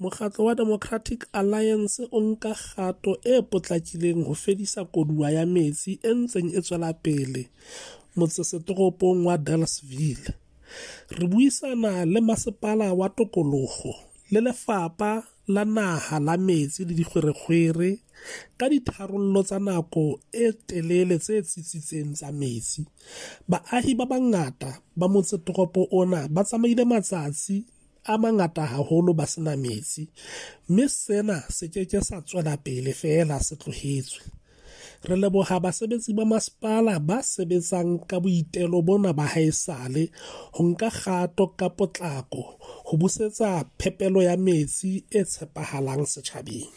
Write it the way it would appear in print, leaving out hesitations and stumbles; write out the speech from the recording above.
Mokgatlo wa Democratic Alliance o nka kgato e potlakileng ho fedisa koduwa ya metsi e ntseng e tswela pele motsesetoropong wa Delareyville. Re buisana le masepala wa tokoloho le lefapha la naha la metsi le dikgwerekgwere ka ditharollo tsa nako e telele tse tsitsitseng tsa metsi. Baahi ba bangata ba motsetoropo ona ba tsamaile matsatsi a mangata haholo ba sena metsi, mme sena se ke ke sa tswela pele feela se tlohetswe. Re leboha basebetsi ba masepala ba sebetsang ka boitelo bona ba haesale ho nka kgato ka potlako ho busetsa phepelo ya metsi e tshepahalang setjhabeng.